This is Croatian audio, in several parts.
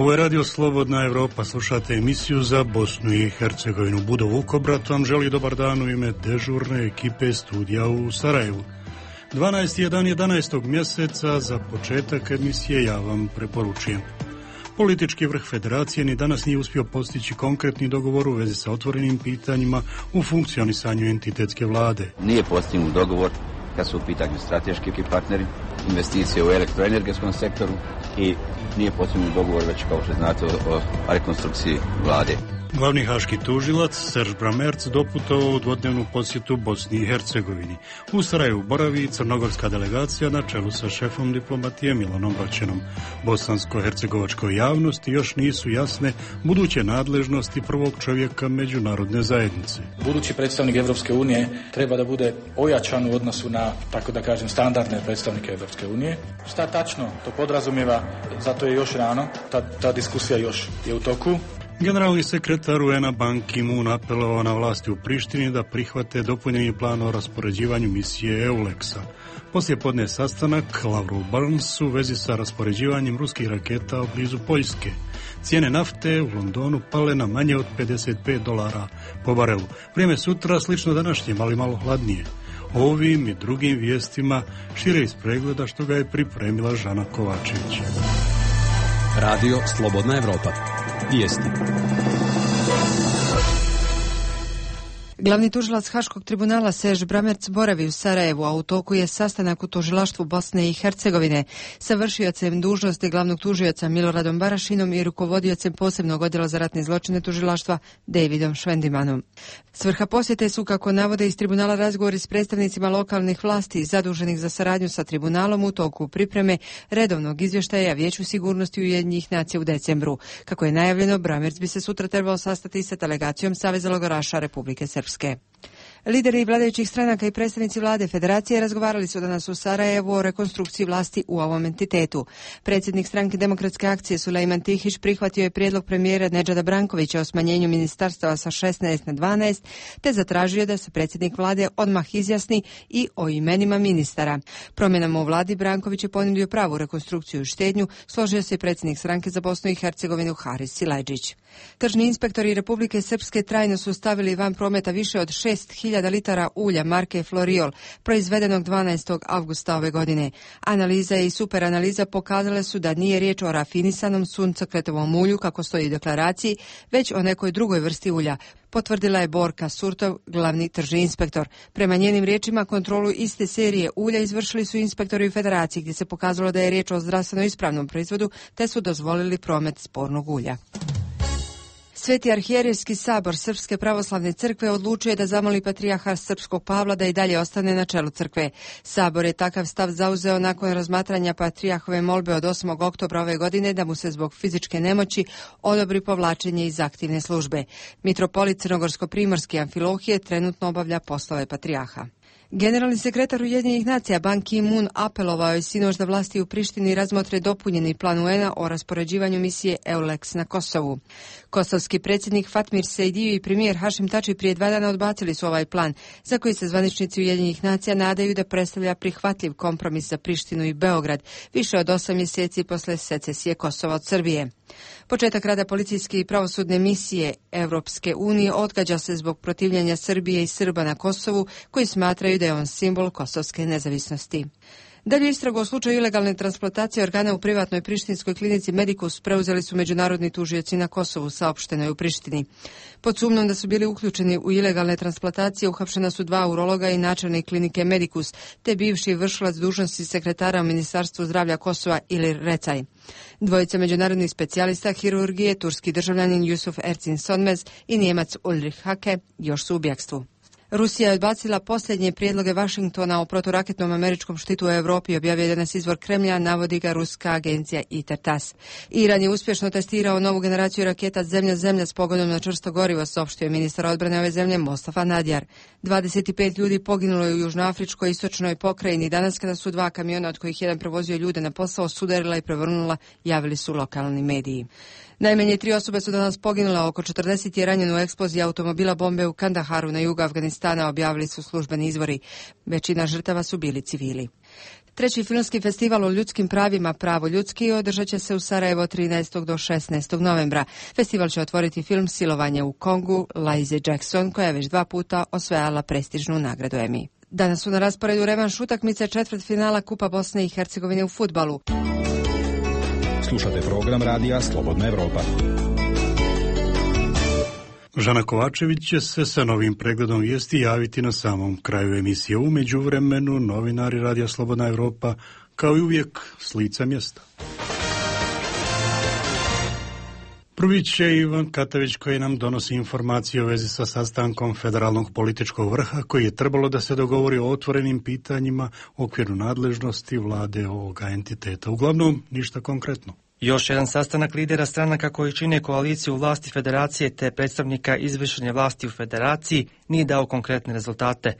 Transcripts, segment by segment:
Ovo je Radio Slobodna Evropa, slušate emisiju za Bosnu i Hercegovinu. Budo Vukobrat vam želi dobar dan u ime dežurne ekipe studija u Sarajevu. 12. je dan 11. mjeseca, za početak emisije ja vam preporučujem. Politički vrh federacije ni danas nije uspio postići konkretni dogovor u vezi sa otvorenim pitanjima u funkcionisanju entitetske vlade. Nije postignut dogovor kad su u pitanju strateški partneri, investicije u elektroenergetskom sektoru i nije postignut dogovor već, kao što znate, o rekonstrukciji vlade. Glavni haški tužilac Serž Bramerc doputovao u dvodnevnu posjetu Bosni i Hercegovini. U Sarajevu boravi crnogorska delegacija na čelu sa šefom diplomatije Milanom Braćenom. Bosansko-hercegovačkoj javnosti još nisu jasne buduće nadležnosti prvog čovjeka međunarodne zajednice. Budući predstavnik Evropske unije treba da bude ojačan u odnosu na, tako da kažem, standardne predstavnike Evropske unije. Šta tačno to podrazumijeva, zato je još rano, ta diskusija još je u toku. Generalni sekretar UN-a Ban Ki-moon apelovao na vlasti u Prištini da prihvate dopunjeni plan o raspoređivanju misije EULEX-a. Poslije podne sastanak Lavrov Burns u vezi sa raspoređivanjem ruskih raketa u blizu Poljske. Cijene nafte u Londonu pale na manje od $55 po barelu. Vrijeme sutra slično današnjem, ali malo hladnije. Ovim i drugim vijestima šire iz pregleda što ga je pripremila Žana Kovačević. Radio Slobodna Evropa. Vijesti. Glavni tužilac Haškog tribunala Serž Bramerc boravi u Sarajevu, a u toku je sastanak u tužilaštvu Bosne i Hercegovine sa vršiocem dužnosti glavnog tužioca Miloradom Barašinom i rukovodiocem posebnog odjela za ratne zločine tužilaštva Davidom Švendimanom. Svrha posjete su, kako navode iz tribunala, razgovori s predstavnicima lokalnih vlasti zaduženih za saradnju sa tribunalom u toku pripreme redovnog izvještaja Vijeću sigurnosti Ujedinjenih nacija u decembru. Kako je najavljeno, Bramerc bi se sutra trebao sastati sa delegacijom Saveza logoraša Republike Srpske. Lideri vladajućih stranaka i predstavnici vlade federacije razgovarali su danas u Sarajevu o rekonstrukciji vlasti u ovom entitetu. Predsjednik stranke Demokratske akcije Sulejman Tihić prihvatio je prijedlog premijera Nedžada Brankovića o smanjenju ministarstava sa 16 na 12, te zatražio da se predsjednik vlade odmah izjasni i o imenima ministara. Promjenama u vladi Branković je ponudio pravu rekonstrukciju i štednju, složio se i predsjednik stranke za Bosnu i Hercegovinu Haris Silajdžić. Tržni inspektori Republike Srpske trajno su stavili van prometa više od 6.000 litara ulja marke Floriol, proizvedenog 12. avgusta ove godine. Analiza i superanaliza pokazale su da nije riječ o rafinisanom suncokretovom ulju, kako stoji u deklaraciji, već o nekoj drugoj vrsti ulja, potvrdila je Borka Surtov, glavni tržni inspektor. Prema njenim riječima, kontrolu iste serije ulja izvršili su inspektori u Federaciji, gdje se pokazalo da je riječ o zdravstveno ispravnom proizvodu, te su dozvolili promet spornog ulja. Sveti arhijerejski sabor Srpske pravoslavne crkve odlučio je da zamoli patrijarha Srpskog Pavla da i dalje ostane na čelu crkve. Sabor je takav stav zauzeo nakon razmatranja patrijarhove molbe od 8. oktobra ove godine da mu se zbog fizičke nemoći odobri povlačenje iz aktivne službe. Mitropolit Crnogorsko-primorski Amfilohije trenutno obavlja poslove patrijarha. Generalni sekretar Ujedinjenih nacija Ban Ki-moon apelovao je sinoć da vlasti u Prištini razmotre dopunjeni plan UN-a o raspoređivanju misije EULEX na Kosovu. Kosovski predsjednik Fatmir Sejdiu i premijer Hašim Tači prije 2 dana odbacili su ovaj plan, za koji se zvaničnici Ujedinjenih nacija nadaju da predstavlja prihvatljiv kompromis za Prištinu i Beograd, više od 8 mjeseci posle secesije Kosova od Srbije. Početak rada policijske i pravosudne misije Evropske unije odgađa se zbog protivljenja Srbije i Srba na Kosovu, koji smatraju da je on simbol kosovske nezavisnosti. Dalje istragu o slučaju ilegalne transplantacije organa u privatnoj prištinskoj klinici Medicus preuzeli su međunarodni tužioci na Kosovu, saopšteno je u Prištini. Pod sumnjom da su bili uključeni u ilegalne transplantacije uhapšena su 2 urologa i načelnik klinike Medicus, te bivši vršilac dužnosti sekretara u Ministarstvu zdravlja Kosova Ilir Recaj. Dvojica međunarodnih specijalista hirurgije, turski državljanin Jusuf Ercin Sonmez i Njemac Ulrich Hake, još su u bjegstvu. Rusija je odbacila posljednje prijedloge Vašingtona o proturaketnom američkom štitu u Europi, objavio danas izvor Kremlja, navodi ga ruska agencija ITAR-TASS. Iran je uspješno testirao novu generaciju raketa zemlja-zemlja s pogonom na čvrsto gorivo, saopštio je ministar odbrane ove zemlje Mostafa Nadjar. 25 ljudi poginulo je u južnoafričkoj istočnoj pokrajini danas kada su 2 kamiona, od kojih jedan prevozio ljude na posao, sudarila i prevrnula, javili su lokalni mediji. Najmanje 3 osobe su danas poginule, oko 40 je ranjeno u eksploziji automobila bombe u Kandaharu na jugu Afganistana, objavili su službeni izvori. Većina žrtava su bili civili. Treći filmski festival o ljudskim pravima Pravo ljudski održat će se u Sarajevo 13. do 16. novembra. Festival će otvoriti film Silovanje u Kongu Lize Jackson, koja je već 2 puta osvajala prestižnu nagradu Emmy. Danas su na rasporedu revanš utakmice četvrtfinala Kupa Bosne i Hercegovine u fudbalu. Slušate program radija Slobodna Evropa. Žana Kovačević će se sa novim pregledom vijesti javiti na samom kraju emisije. U međuvremenu novinari Radija Slobodna Evropa, kao i uvijek, s lica mjesta. Prvi će Ivan Katavić, koji nam donosi informacije u vezi sa sastankom federalnog političkog vrha, koji je trebalo da se dogovori o otvorenim pitanjima u okviru nadležnosti vlade ovoga entiteta. Uglavnom, ništa konkretno. Još jedan sastanak lidera stranaka koji čine koaliciju vlasti federacije te predstavnika izvršne vlasti u federaciji nije dao konkretne rezultate.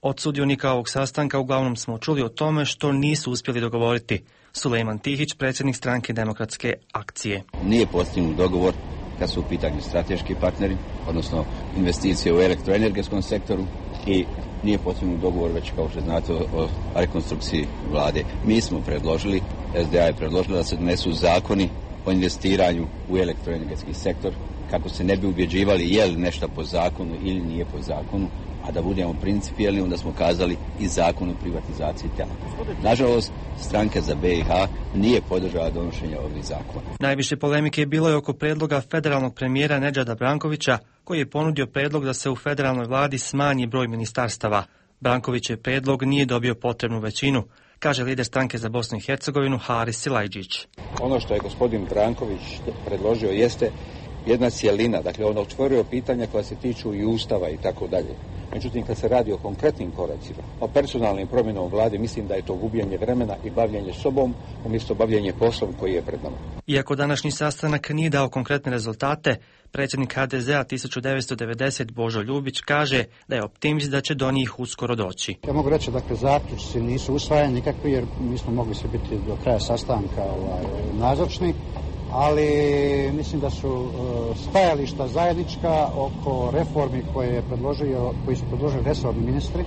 Od sudionika ovog sastanka uglavnom smo čuli o tome što nisu uspjeli dogovoriti. Sulejman Tihić, predsjednik stranke Demokratske akcije. Nije postignut dogovor kad su u pitanju strateški partneri, odnosno investicije u elektroenergetskom sektoru, i nije postignut dogovor već, kao što znate, o rekonstrukciji vlade. Mi smo predložili, SDA je predložila da se donesu zakoni o investiranju u elektroenergetski sektor, kako se ne bi ubjeđivali je li nešto po zakonu ili nije po zakonu, a da budemo principijelni, onda smo kazali i zakon o privatizaciji Telekoma. Nažalost, stranka za BiH nije podržala donošenje ovih zakona. Najviše polemike je bilo i oko predloga federalnog premijera Nedžada Brankovića, koji je ponudio predlog da se u federalnoj vladi smanji broj ministarstava. Brankovićev predlog nije dobio potrebnu većinu, kaže lider stranke za Bosnu i Hercegovinu Haris Silajđić. Ono što je gospodin Branković predložio jeste jedna cjelina, dakle on otvorio pitanja koja se tiču i Ustava i tako dalje. Međutim, kad se radi o konkretnim koracima, o personalnim promjenama u vladi, mislim da je to gubljenje vremena i bavljenje sobom umjesto bavljenje poslom koji je pred nama. Iako današnji sastanak nije dao konkretne rezultate, predsjednik HDZ-a 1990 Božo Ljubić kaže da je optimist da će do njih uskoro doći. Ja mogu reći, dakle, zaključci nisu usvajani nikakvi jer nismo mogli se biti do kraja sastanka nazočni, ali mislim da su stajališta zajednička oko reformi koji su predložili resorni ministri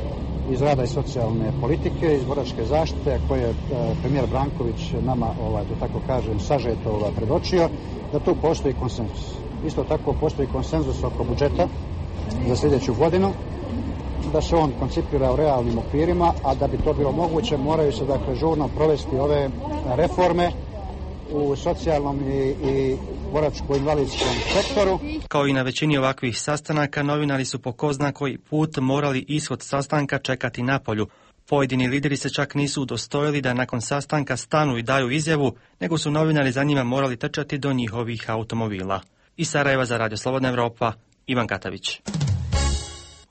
iz rada i socijalne politike, iz boračke zaštite, koje je premijer Branković nama, da tako kažem, sažeto predočio, da tu postoji konsenzus. Isto tako postoji konsenzus oko budžeta za sljedeću godinu, da se on koncipira u realnim okvirima, a da bi to bilo moguće moraju se, dakle, žurno provesti ove reforme u socijalnom i boračko-invalidskom sektoru. Kao i na većini ovakvih sastanaka, novinari su po ko zna koji put morali ishod sastanka čekati napolju. Pojedini lideri se čak nisu udostojili da nakon sastanka stanu i daju izjavu, nego su novinari za njima morali trčati do njihovih automobila. Iz Sarajeva za Radio Slobodna Evropa, Ivan Katavić.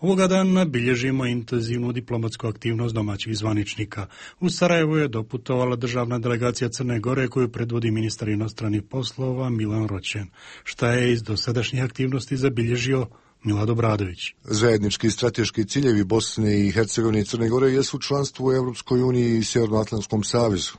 Ovoga dana bilježimo intenzivnu diplomatsku aktivnost domaćih zvaničnika. U Sarajevu je doputovala državna delegacija Crne Gore koju predvodi ministar inostranih poslova Milan Roćen. Šta je iz dosadašnjih aktivnosti zabilježio Milad Obradović? Zajednički strateški ciljevi Bosne i Hercegovine i Crne Gore jesu članstvo u Europskoj uniji i Sjevernoatlantskom savezu.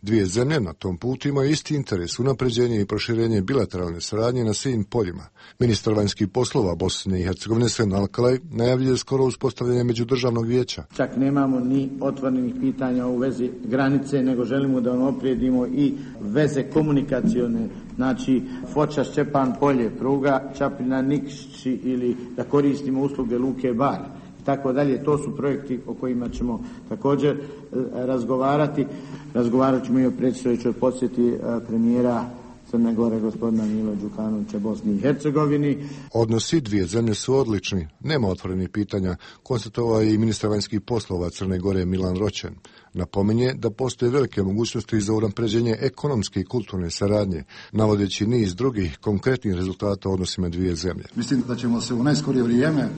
Dvije zemlje na tom putu imaju isti interes, unapređenje i proširenje bilateralne saradnje na svim poljima. Ministar vanjskih poslova Bosne i Hercegovine Sven Alkalaj najavljuje skoro uspostavljanje međudržavnog vijeća. Čak nemamo ni otvorenih pitanja u vezi granice, nego želimo da unaprijedimo i veze komunikacione, znači Foča, Šćepan, Polje, pruga, Čapljina, Nikšići, ili da koristimo usluge Luke Bar. Tako dalje, to su projekti o kojima ćemo također razgovarati. Razgovarat ćemo i o predstojećoj posjeti premijera Crne Gore, gospodina Mila Đukanovića, Bosni i Hercegovini. Odnosi dvije zemlje su odlični, nema otvorenih pitanja, konstatovao je i ministar vanjskih poslova Crne Gore Milan Roćen. Napominje da postoje velike mogućnosti za unapređenje ekonomske i kulturne saradnje, navodeći niz drugih konkretnih rezultata u odnosima dvije zemlje. Mislim da ćemo se u najskorije vrijeme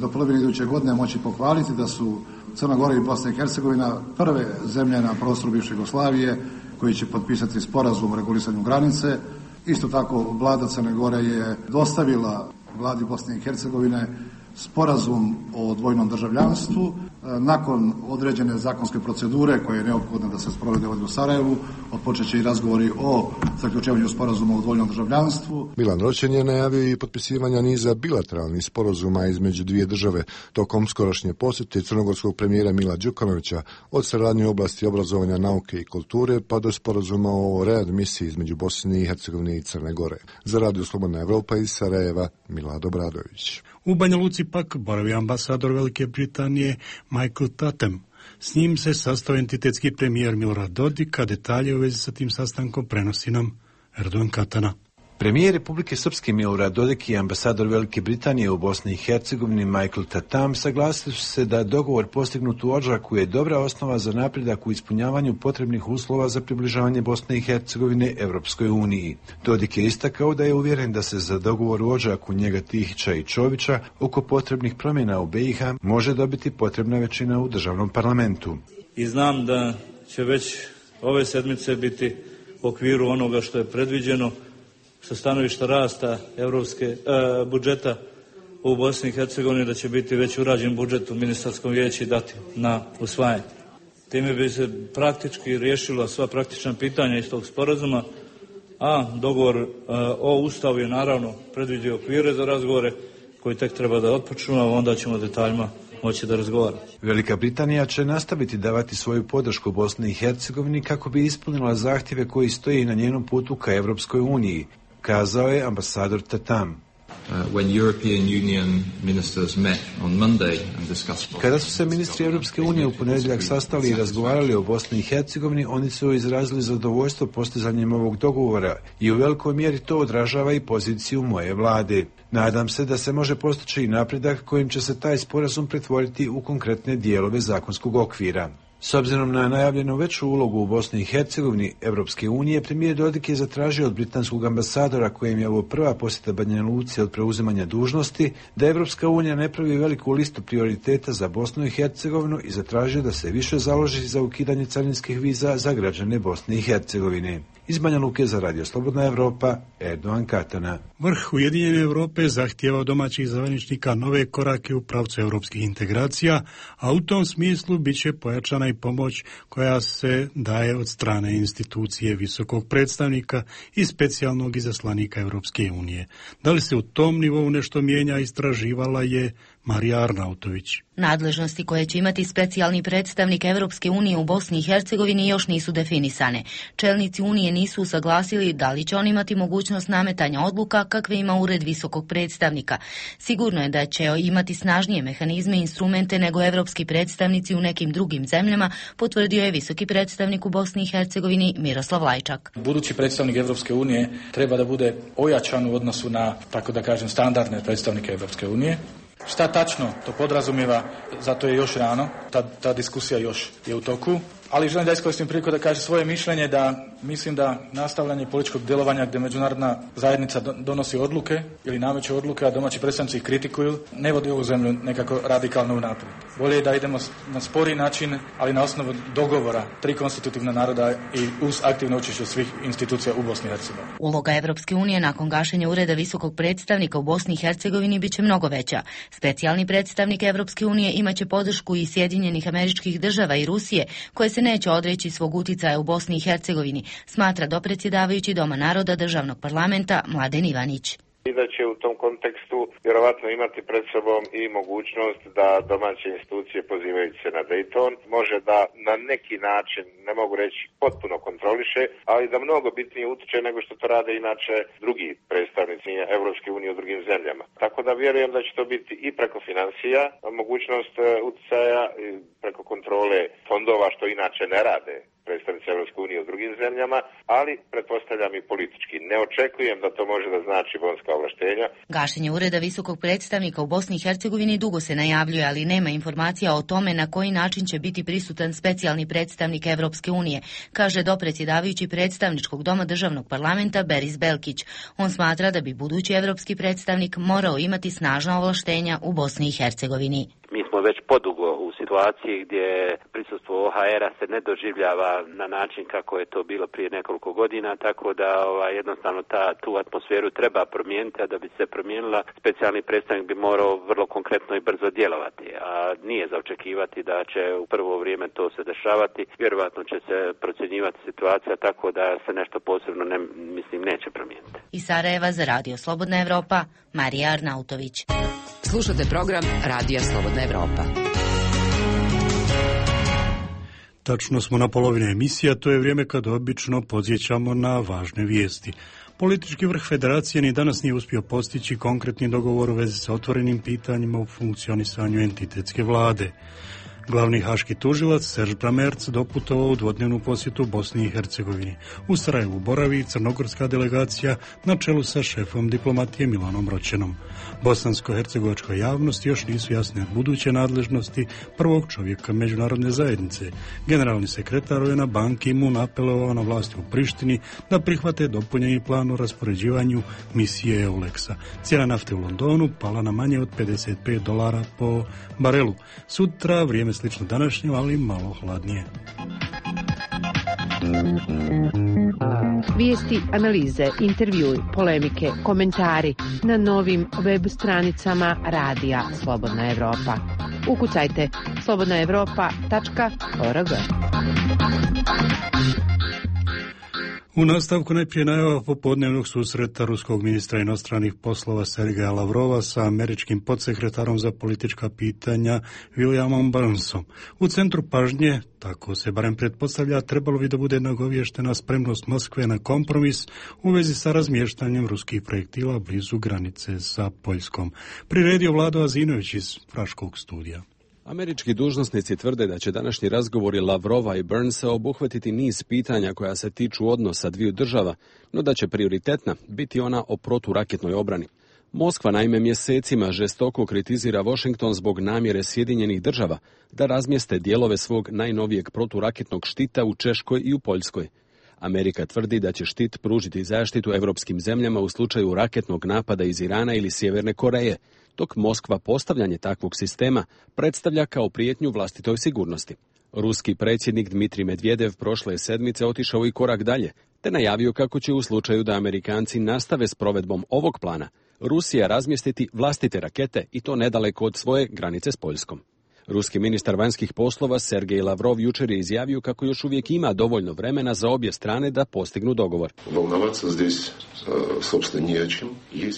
do polovine iduće godine moći pohvaliti da su Crna Gora i Bosna i Hercegovina prve zemlje na prostoru bivše Jugoslavije koji će potpisati sporazum o regulisanju granice. Isto tako, vlada Crne Gore je dostavila vladi Bosne i Hercegovine sporazum o dvojnom državljanstvu. Nakon određene zakonske procedure koje je neophodno da se sprovede ovdje u Sarajevu, otpočet će i razgovori o zaključivanju sporazuma o dvojnom državljanstvu. Milan Roćen je najavio i potpisivanja niza bilateralnih sporazuma između dvije države tokom skorašnje posjete crnogorskog premijera Mila Đukanovića, od saradnje u oblasti obrazovanja, nauke i kulture pa do sporazuma o readmisiji između Bosne i Hercegovine i Crne Gore. Za Radio Slobodna Evropa iz Sarajeva, Milad Obradović. U Banja Luci pak boravi ambasador Velike Britanije Michael Tatham. S njim se sastao entitetski premijer Milorad Dodik, a detalje u vezi sa tim sastankom prenosi nam Erdogan Katana. Premijer Republike Srpske Milorad Dodik i ambasador Velike Britanije u Bosni i Hercegovini Michael Tatham saglasili su se da dogovor postignut u ožujku je dobra osnova za napredak u ispunjavanju potrebnih uslova za približavanje Bosne i Hercegovine Evropskoj uniji. Dodik je istakao da je uvjeren da se za dogovor u ožujku njega Tihića i Čovića oko potrebnih promjena u BiH može dobiti potrebna većina u državnom parlamentu. I znam da će već ove sedmice biti u okviru onoga što je predviđeno sa stanovišta rasta budžeta u Bosni i Hercegovini, da će biti već urađen budžet u ministarskom vijeću i dati na usvajanje. Time bi se praktički riješila sva praktična pitanja iz tog sporazuma, a dogovor o Ustavu je naravno predvidio okvire za razgovore koji tek treba da otpočnu, a onda ćemo detaljima moći da razgovaramo. Velika Britanija će nastaviti davati svoju podršku Bosni i Hercegovini kako bi ispunila zahtjeve koji stoji na njenom putu ka Evropskoj uniji, kazao je ambasador Tatham. Kada su se ministri Europske unije u ponedjeljak sastali i razgovarali o Bosni i Hercegovini, oni su izrazili zadovoljstvo postizanjem ovog dogovora i u velikoj mjeri to odražava i poziciju moje vlade. Nadam se da se može postići i napredak kojim će se taj sporazum pretvoriti u konkretne dijelove zakonskog okvira. S obzirom na najavljenu veću ulogu u Bosni i Hercegovini Evropske unije, premijer Dodik je zatražio od britanskog ambasadora, kojem je ovo prva posjeta Banja Luci od preuzimanja dužnosti, da Evropska unija ne pravi veliku listu prioriteta za Bosnu i Hercegovinu i zatražio da se više založi za ukidanje carinskih viza za građane Bosne i Hercegovine. Iz Banja Luke za Radio Slobodna Evropa, Erdogan Katana. Vrh Ujedinjene Europe zahtijeva od domaćih zvaničnika nove korake u pravcu europskih integracija, a u tom smislu bit će pojačana i pomoć koja se daje od strane institucije visokog predstavnika i specijalnog izaslanika Europske unije. Da li se u tom nivou nešto mijenja, istraživala je Marija Arnautović. Nadležnosti koje će imati specijalni predstavnik Evropske unije u Bosni i Hercegovini još nisu definisane. Čelnici Unije nisu usaglasili da li će on imati mogućnost nametanja odluka kakve ima ured visokog predstavnika. Sigurno je da će imati snažnije mehanizme i instrumente nego evropski predstavnici u nekim drugim zemljama, potvrdio je visoki predstavnik u Bosni i Hercegovini Miroslav Lajčak. Budući predstavnik Evropske unije treba da bude ojačan u odnosu na, tako da kažem, standardne predstavnike Evropske unije. Šta tačno to podrazumijeva, zato je još rano, ta diskusija još je u toku, ali želim da iskoristim priliku da kažem svoje mišljenje da mislim da nastavljanje političkog djelovanja gdje međunarodna zajednica donosi odluke ili nameće odluke, a domaći predstavnici ih kritikuju, ne vodi ovu zemlju nekako radikalno unaprijed. Bolje je da idemo na spori način, ali na osnovu dogovora 3 konstitutivna naroda i uz aktivno učešće svih institucija u Bosni i Hercegovini. Uloga Evropske unije nakon gašenja ureda visokog predstavnika u Bosni i Hercegovini bit će mnogo veća. Specijalni predstavnik Evropske unije imaće podršku i Sjedinjenih Američkih Država i Rusije, koje se neće odreći svog uticaja u Bosni i Hercegovini, smatra dopredsjedavajući Doma naroda državnog parlamenta Mladen Ivanić. I da će u tom kontekstu vjerovatno imati pred sobom i mogućnost da domaće institucije pozivajući se na Dayton može da na neki način, ne mogu reći potpuno kontroliše, ali da mnogo bitnije utiče nego što to rade inače drugi predstavnici Evropske unije u drugim zemljama. Tako da vjerujem da će to biti i preko financija, mogućnost uticaja, preko kontrole fondova što inače ne rade predstavnici Evropske unije u drugim zemljama, ali pretpostavljam i politički. Ne očekujem da to može da znači bonska ovlaštenja. Gašenje ureda visokog predstavnika u Bosni i Hercegovini dugo se najavljuje, ali nema informacija o tome na koji način će biti prisutan specijalni predstavnik Evropske unije, kaže dopredsjedavajući predstavničkog doma državnog parlamenta Beris Belkić. On smatra da bi budući evropski predstavnik morao imati snažna ovlaštenja u Bosni i Hercegovini. Mi smo već podugo u situaciji gdje prisustvo OHR-a se ne doživljava na način kako je to bilo prije nekoliko godina, tako da jednostavno tu atmosferu treba promijeniti, a da bi se promijenila specijalni predstavnik bi morao vrlo konkretno i brzo djelovati, a nije za očekivati da će u prvo vrijeme to se dešavati. Vjerojatno će se procjenjivati situacija tako da se nešto posebno neće promijeniti. Iz Sarajeva za Radio Slobodna Evropa, Marija Arnautović. Slušate program Radija Slobodna Evropa. Tačno smo na polovini emisija, to je vrijeme kad obično podsjećamo na važne vijesti. Politički vrh federacije ni danas nije uspio postići konkretni dogovor u vezi sa otvorenim pitanjima u funkcionisanju entitetske vlade. Glavni haški tužilac Serž Bramerc doputovao u dvodnevnu posjetu Bosni i Hercegovini. U Sarajevu boravi crnogorska delegacija na čelu sa šefom diplomatije Milanom Roćenom. Bosansko-hercegovačkoj javnosti još nisu jasne buduće nadležnosti prvog čovjeka međunarodne zajednice. Generalni sekretar UN Ban Ki-moon apelovao na vlasti u Prištini da prihvate dopunjeni plan o raspoređivanju misije EULEX-a. Cijena nafte u Londonu pala na manje od $55 po barelu. Sutra vrijeme slično današnje, ali malo hladnije. Vijesti, analize, intervjui, polemike, komentari na novim web stranicama Radija Slobodna Evropa. Ukucajte slobodnaevropa.org. U nastavku najprije najava popodnevnog susreta ruskog ministra inostranih poslova Sergeja Lavrova sa američkim podsekretarom za politička pitanja Williamom Burnsom. U centru pažnje, tako se barem pretpostavlja, trebalo bi da bude nagovještena spremnost Moskve na kompromis u vezi sa razmještanjem ruskih projektila blizu granice sa Poljskom. Priredio Vlado Azinović iz Praškog studija. Američki dužnosnici tvrde da će današnji razgovori Lavrova i Burnsa obuhvatiti niz pitanja koja se tiču odnosa dviju država, no da će prioritetna biti ona o proturaketnoj obrani. Moskva naime mjesecima žestoko kritizira Washington zbog namjere Sjedinjenih država da razmjeste dijelove svog najnovijeg proturaketnog štita u Češkoj i u Poljskoj. Amerika tvrdi da će štit pružiti zaštitu europskim zemljama u slučaju raketnog napada iz Irana ili Sjeverne Koreje, dok Moskva postavljanje takvog sistema predstavlja kao prijetnju vlastitoj sigurnosti. Ruski predsjednik Dmitrij Medvedev prošle sedmice otišao i korak dalje, te najavio kako će u slučaju da Amerikanci nastave s provedbom ovog plana, Rusija razmjestiti vlastite rakete i to nedaleko od svoje granice s Poljskom. Ruski ministar vanjskih poslova Sergej Lavrov jučer je izjavio kako još uvijek ima dovoljno vremena za obje strane da postignu dogovor.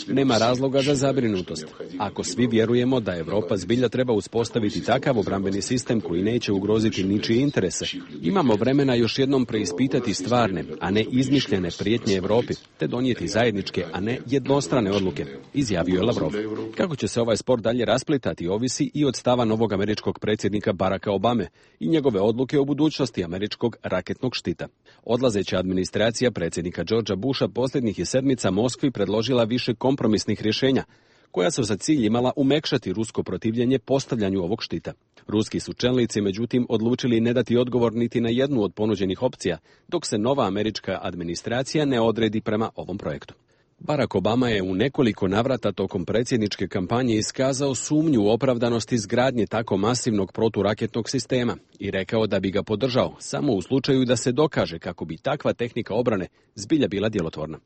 Nema razloga za zabrinutost. Ako svi vjerujemo da Europa zbilja treba uspostaviti takav obrambeni sistem koji neće ugroziti ničije interese, imamo vremena još jednom preispitati stvarne, a ne izmišljene prijetnje Europi, te donijeti zajedničke, a ne jednostrane odluke, izjavio je Lavrov. Kako će se ovaj spor dalje rasplitati ovisi i od stava novog američkog predsjednika Baracka Obame i njegove odluke o budućnosti američkog raketnog štita. Odlazeća administracija predsjednika Georgea Busha posljednjih je sedmica Moskvi predložila više kompromisnih rješenja, koja su za cilj imala umekšati rusko protivljenje postavljanju ovog štita. Ruski su čelnici, međutim, odlučili ne dati odgovor niti na jednu od ponuđenih opcija, dok se nova američka administracija ne odredi prema ovom projektu. Barack Obama je u nekoliko navrata tokom predsjedničke kampanje iskazao sumnju u opravdanost izgradnje tako masivnog proturaketnog sistema i rekao da bi ga podržao samo u slučaju da se dokaže kako bi takva tehnika obrane zbilja bila djelotvorna.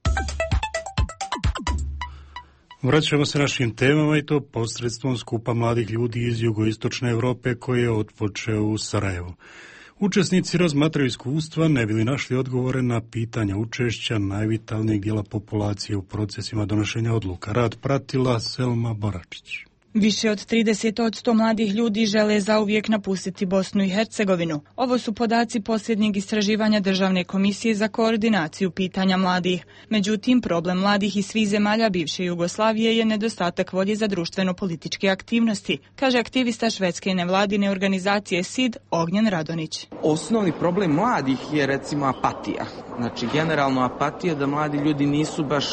Vraćamo se našim temama i to posredstvom skupa mladih ljudi iz jugoistočne Europe koje je otpočeo u Sarajevu. Učesnici razmatraju iskustva, ne bi li našli odgovore na pitanja učešća najvitalnijeg dijela populacije u procesima donošenja odluka. Rad pratila Selma Boračić. Više od 30% mladih ljudi žele zauvijek napustiti Bosnu i Hercegovinu. Ovo su podaci posljednjeg istraživanja Državne komisije za koordinaciju pitanja mladih. Međutim, problem mladih iz svih zemalja bivše Jugoslavije je nedostatak volje za društveno-političke aktivnosti, kaže aktivista švedske nevladine organizacije SID Ognjen Radonić. Osnovni problem mladih je recimo apatija. Znači, generalno apatija da mladi ljudi nisu baš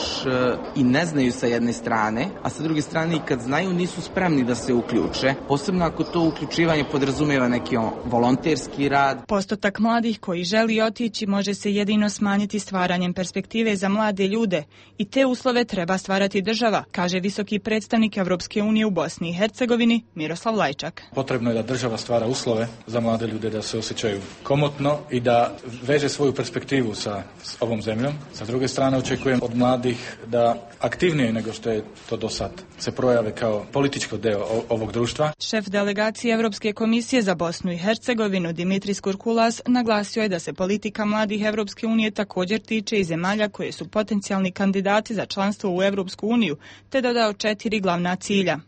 i ne znaju sa jedne strane, a sa druge strane i kad znaju nisu spremni da se uključe, posebno ako to uključivanje podrazumijeva neki volonterski rad. Postotak mladih koji želi otići može se jedino smanjiti stvaranjem perspektive za mlade ljude i te uslove treba stvarati država, kaže visoki predstavnik Evropske unije u Bosni i Hercegovini Miroslav Lajčak. Potrebno je da država stvara uslove za mlade ljude da se osjećaju komotno i da veže svoju perspektivu sa ovom zemljom. Sa druge strane očekujem od mladih da aktivnije nego što je to do sad se projave kao političko deo ovog društva. Šef delegacije Evropske komisije za Bosnu i Hercegovinu Dimitris Kurkulas naglasio je da se politika mladih Evropske unije također tiče i zemalja koje su potencijalni kandidati za članstvo u Evropsku uniju, te dodao 4 glavna cilja.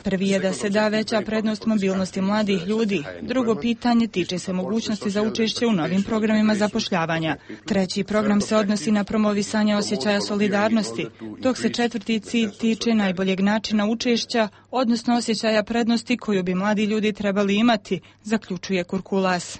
Prvi je da se da veća prednost mobilnosti mladih ljudi. Drugo pitanje tiče se mogućnosti za učešće u novim programima zapošljavanja. Treći program se odnosi na promovisanje osjećaja solidarnosti, dok se četvrti cilj tiče najboljeg načina učešća, odnosno osjećaja prednosti koju bi mladi ljudi trebali imati, zaključuje Kurkulas.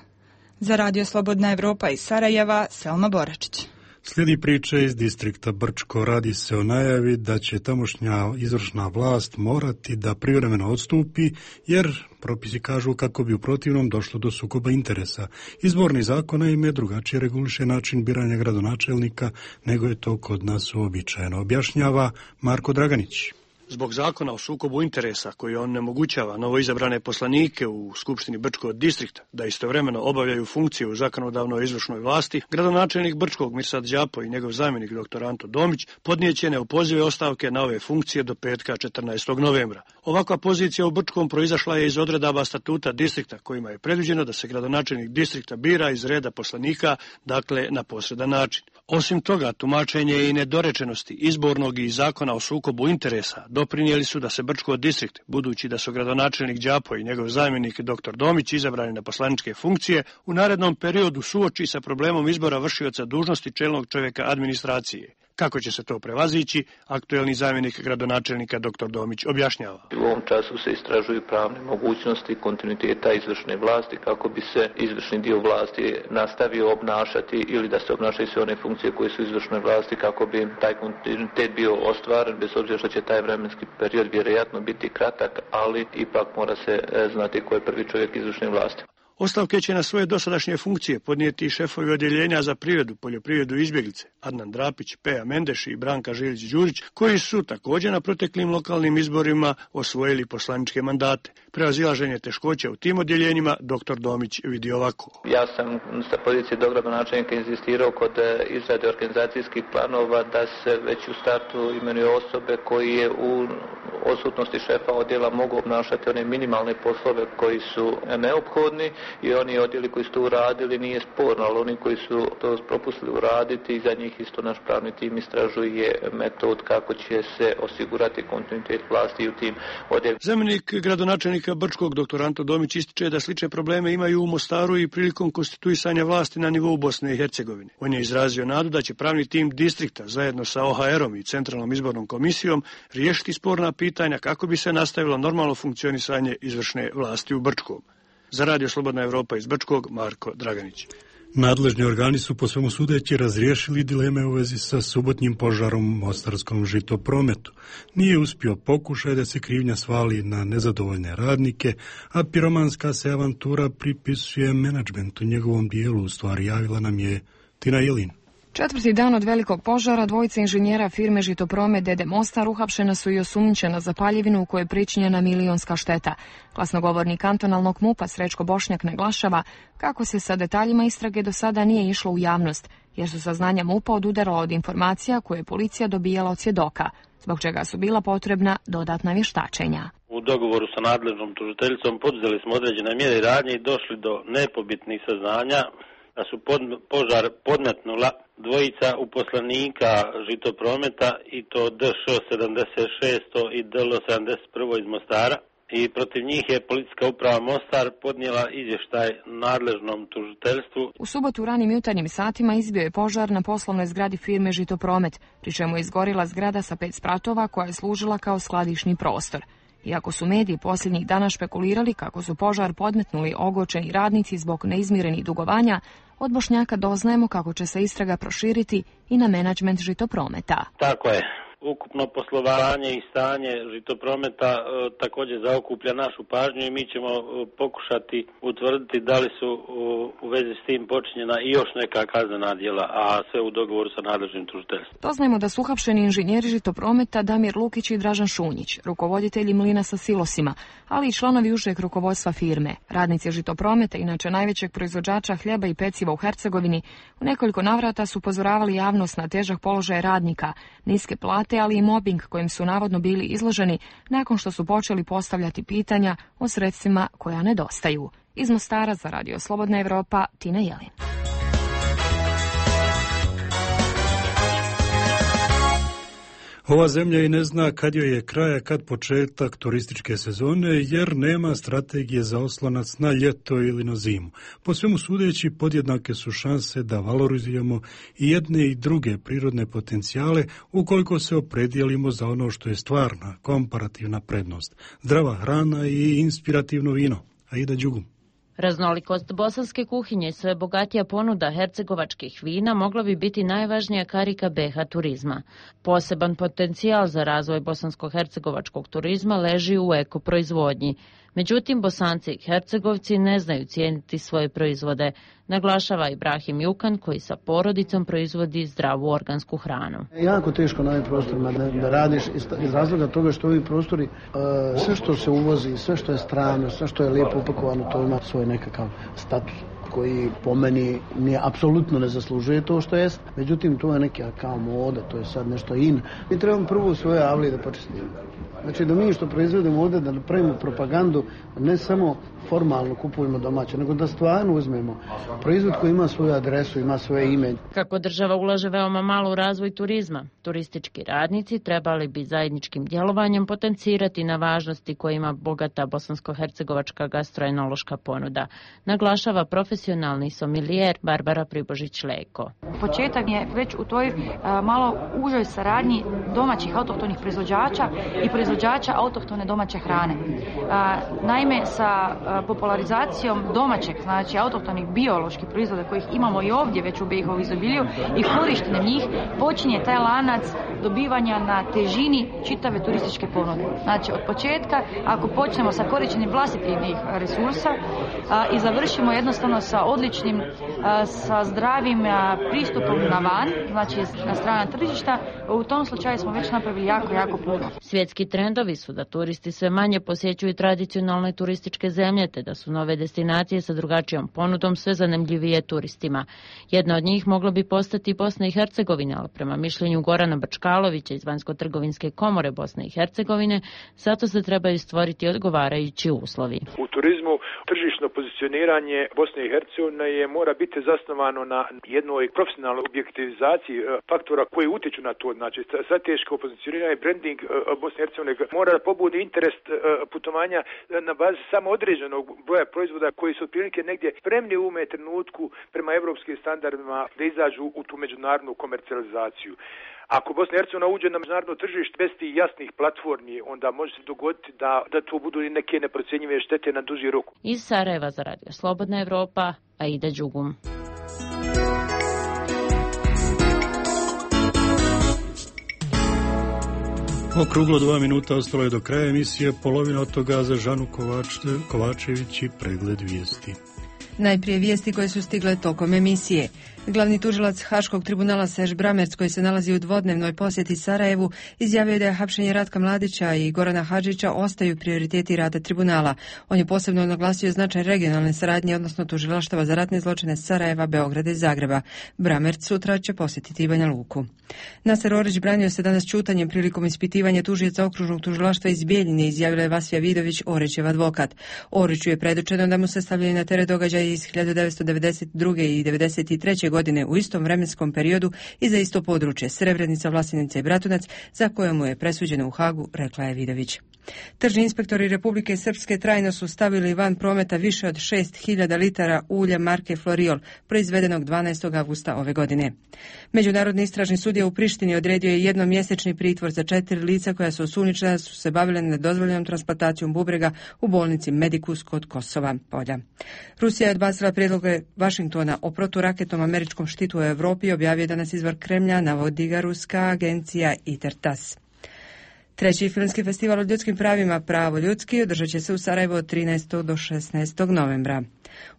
Za Radio Slobodna Evropa iz Sarajeva, Selma Boračić. Slijedi priče iz distrikta Brčko. Radi se o najavi da će tamošnja izvršna vlast morati da privremeno odstupi, jer propisi kažu kako bi u protivnom došlo do sukoba interesa. Izborni zakon naime drugačije reguliše način biranja gradonačelnika nego je to kod nas uobičajeno. Objašnjava Marko Draganić. Zbog zakona o sukobu interesa koji onemogućava novoizabrane poslanike u Skupštini Brčkog distrikta da istovremeno obavljaju funkcije u zakonodavnoj izvršnoj vlasti, gradonačelnik Brčkog Mirsad Đapo i njegov zamjenik dr. Anto Domić podnijeće neopozive ostavke na ove funkcije do petka 14. novembra. Ovakva pozicija u Brčkom proizašla je iz odredaba statuta distrikta kojima je predviđeno da se gradonačelnik distrikta bira iz reda poslanika, dakle na posredan način. Osim toga, tumačenje i nedorečenosti izbornog i zakona o sukobu interesa doprinijeli su da se Brčko distrikt, budući da su gradonačelnik Đapo i njegov zamjenik dr. Domić izabrani na poslaničke funkcije, u narednom periodu suoči sa problemom izbora vršioca dužnosti čelnog čovjeka administracije. Kako će se to prevazići, aktuelni zamjenik gradonačelnika dr. Domić objašnjava. U ovom času se istražuju pravne mogućnosti kontinuiteta izvršne vlasti kako bi se izvršni dio vlasti nastavio obnašati ili da se obnašaju sve one funkcije koje su izvršne vlasti kako bi taj kontinuitet bio ostvaren, bez obzira što će taj vremenski period vjerojatno biti kratak, ali ipak mora se znati ko je prvi čovjek izvršne vlasti. Ostavke će na svoje dosadašnje funkcije podnijeti šefovi odjeljenja za privredu, poljoprivredu i izbjeglice, Adnan Drapić, Peja Mendeš i Branka Žilić-Đurić, koji su također na proteklim lokalnim izborima osvojili poslaničke mandate. Prevazilaženje teškoća u tim odjeljenjima dr. Domić vidi ovako. Ja sam sa pozicije dogradonačelnika inzistirao kod izrade organizacijskih planova da se već u startu imenuju osobe koji je u odsutnosti šefa odjela mogu obnašati one minimalne poslove koji su neophodni i oni odjeli koji su to uradili nije sporno, ali oni koji su to propustili uraditi i za njih isto naš pravni tim istražuje metod kako će se osigurati kontinuitet vlasti u tim odjelima. Zamjenik gradonačelnika Brčkog dr. Anto Domić ističe da slične probleme imaju u Mostaru i prilikom konstituisanja vlasti na nivou Bosne i Hercegovine. On je izrazio nadu da će pravni tim distrikta zajedno sa OHR-om i Centralnom izbornom komisijom riješiti sporna pitanja kako bi se nastavilo normalno funkcionisanje izvršne vlasti u Brčkom. Za Radio Slobodna Evropa iz Brčkog, Marko Draganić. Nadležni organi su po svemu sudeći razriješili dileme u vezi sa subotnjim požarom u mostarskom žitoprometu. Nije uspio pokušaj da se krivnja svali na nezadovoljne radnike, a piromanska se avantura pripisuje menadžmentu njegovom dijelu, u stvari javila nam je Tina Jelin. Četvrti dan od velikog požara dvojica inženjera firme Žitopromet D.D. Mostar uhapšena su i osumnjičena za paljevinu u kojoj je pričinjena milionska šteta. Glasnogovornik kantonalnog MUP-a Srećko Bošnjak naglašava kako se sa detaljima istrage do sada nije išlo u javnost, jer su saznanja MUP-a odudarala od informacija koje je policija dobijala od svjedoka, zbog čega su bila potrebna dodatna vještačenja. U dogovoru sa nadležnom tužiteljicom poduzeli smo određene mjere i radnje i došli do nepobitnih saznanja da su požar podmetnula dvojica uposlenika Žitoprometa i to DŠ 76 i DL 71 iz Mostara. I protiv njih je policijska uprava Mostar podnijela izvještaj nadležnom tužiteljstvu. U subotu u ranim jutarnjim satima izbio je požar na poslovnoj zgradi firme Žitopromet, pri čemu je izgorila zgrada sa 5 spratova koja je služila kao skladišni prostor. Iako su mediji posljednjih dana špekulirali kako su požar podmetnuli ogorčeni radnici zbog neizmirenih dugovanja, od Bošnjaka doznajemo kako će se istraga proširiti i na menadžment Žitoprometa. Tako je. Ukupno poslovanje i stanje Žitoprometa također zaokuplja našu pažnju i mi ćemo pokušati utvrditi da li su u vezi s tim počinjena i još neka kaznena djela, a sve u dogovoru sa nadležnim tužiteljstvom. Doznajemo da su uhapšeni inženjeri Žitoprometa Damir Lukić i Dražan Šunjić, rukovoditelji mlina sa silosima, ali i članovi užeg rukovodstva firme. Radnici Žitoprometa, inače najvećeg proizvođača hljeba i peciva u Hercegovini, u nekoliko navrata su upozoravali javnost na težak položaj radnika, niske plate, ali i mobbing kojim su navodno bili izloženi nakon što su počeli postavljati pitanja o sredstvima koja nedostaju. Iz Mostara za Radio Slobodna Evropa, Tina Jelin. Ova zemlja i ne zna kad joj je kraj, kad početak turističke sezone, jer nema strategije za oslonac na ljeto ili na zimu. Po svemu sudeći, podjednake su šanse da valorizujemo i jedne i druge prirodne potencijale ukoliko se opredijelimo za ono što je stvarna, komparativna prednost. Zdrava hrana i inspirativno vino. Aida Đugum. Raznolikost bosanske kuhinje i sve bogatija ponuda hercegovačkih vina mogla bi biti najvažnija karika BiH turizma. Poseban potencijal za razvoj bosansko-hercegovačkog turizma leži u ekoproizvodnji. Međutim, Bosanci i Hercegovci ne znaju cijeniti svoje proizvode, naglašava Ibrahim Jukan, koji sa porodicom proizvodi zdravu organsku hranu. Jako teško na ovim prostorima da radiš iz razloga toga što ovi prostori, sve što se uvozi, sve što je strano, sve što je lijepo upakovano, to ima svoj nekakav status koji po meni apsolutno ne zaslužuje to što jest. Međutim, to je neka kao moda, to je sad nešto in. Mi trebamo prvo u svoje avlije da počistimo. Znači da mi što proizvodimo ovdje, da napravimo propagandu, ne samo formalno kupujemo domaće, nego da stvarno uzmemo proizvod koji ima svoju adresu, ima svoje ime. Kako država ulaže veoma malo u razvoj turizma, turistički radnici trebali bi zajedničkim djelovanjem potencirati na važnosti koje ima bogata bosansko-hercegovačka gastroenološka ponuda, naglašava profesionalni somilijer Barbara Pribožić-Leko. Početak je već u toj malo užoj saradnji domaćih autohtonih proizvođača i proizvođača autohtone domaće hrane. Naime, sa popularizacijom domaćeg, znači autohtonih bioloških proizvoda kojih imamo i ovdje već u BiH u izobilju i korištenjem njih, počinje taj lanac dobivanja na težini čitave turističke ponude. Znači od početka, ako počnemo sa korištenjem vlastitih resursa i završimo jednostavno sa odličnim, sa zdravim pristupom na van, znači na strana tržišta, u tom slučaju smo već napravili jako puno. Svjetski trendovi su da turisti sve manje posjećuju tradicionalne turističke zemlje, te da su nove destinacije sa drugačijom ponudom sve zanimljivije turistima. Jedna od njih mogla bi postati Bosna i Hercegovina, ali prema mišljenju Gorana Bačkalovića iz Vanjsko-trgovinske komore Bosne i Hercegovine, zato se trebaju stvoriti odgovarajući uslovi. U turizmu tržišno pozicioniranje Bosne i Hercegovine mora biti zasnovano na jednoj profesionalnoj objektivizaciji faktora koji utječu na to. Znači, strateško pozicioniranje, branding Bosne i Hercegovine mora da pobudi interes putovanja na bazi samo određenog broja proizvoda koji su otprilike negdje spremni u ovome trenutku prema evropskim standardima da izađu u tu međunarodnu komercijalizaciju. Ako Bosna i Hercegovina uđe na međunarodno tržište bez tih jasnih platformi, onda može se dogoditi da to budu i neke neprocjenjive štete na duži rok. Iz Sarajeva za Radio Slobodna Evropa, Aida Đugum. Okruglo 2 minuta ostalo je do kraja emisije, polovina od toga za Žanu Kovačević i pregled vijesti. Najprije vijesti koje su stigle tokom emisije. Glavni tužilac Haškog tribunala Serž Bramerc, koji se nalazi u dvodnevnoj posjeti Sarajevu, izjavio da je hapšenje Ratka Mladića i Gorana Hadžića ostaju prioriteti rada tribunala. On je posebno naglasio značaj regionalne saradnje, odnosno tužilaštava za ratne zločine Sarajeva, Beograda i Zagreba. Bramerc sutra će posjetiti Banja Luku. Naser Orić branio se danas ćutanjem prilikom ispitivanja tužioca okružnog tužilaštva iz Bijeljine, izjavila je Vasfija Vidović, Orićev advokat. Oriću je predočeno da mu se stavljaju na teret događaja presude iz 1992. i 1993. godine u istom vremenskom periodu i za isto područje Srebrenica, Vlasenica i Bratunac, za koje mu je presuđeno u Hagu, rekla je Vidović. Tržni inspektori Republike Srpske trajno su stavili van prometa više od 6.000 litara ulja marke Floriol, proizvedenog 12. avgusta ove godine. Međunarodni istražni sudija u Prištini odredio je jednomjesečni pritvor za 4 lica koja su osumnjičena da su se bavile nedozvoljenom transplantacijom bubrega u bolnici Medikus kod Kosova polja. Rusija je odbacila prijedloge Vašingtona o proturaketnom američkom štitu u Evropi, objavio danas izvor Kremlja, navodi ga ruska agencija ITER-TASS. Treći filmski festival o ljudskim pravima Pravo ljudski održat će se u Sarajevu od 13. do 16. novembra.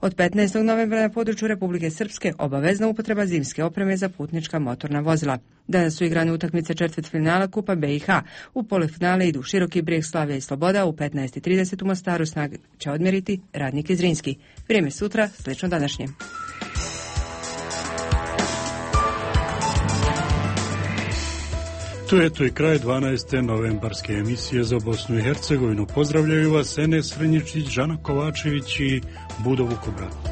Od 15. novembra na području Republike Srpske obavezna upotreba zimske opreme za putnička motorna vozila. Danas su igrane utakmice četvrtfinala Kupa BiH. U polufinale idu Široki Brijeg, Slavija i Sloboda. U 15:30 u Mostaru snage će odmjeriti Radnik i Zrinski. Vrijeme sutra, slično današnje. To je to i kraj 12. novembarske emisije za Bosnu i Hercegovinu. Pozdravljaju vas Enes Srenjičić, Žana Kovačević i Budo Vukobrat.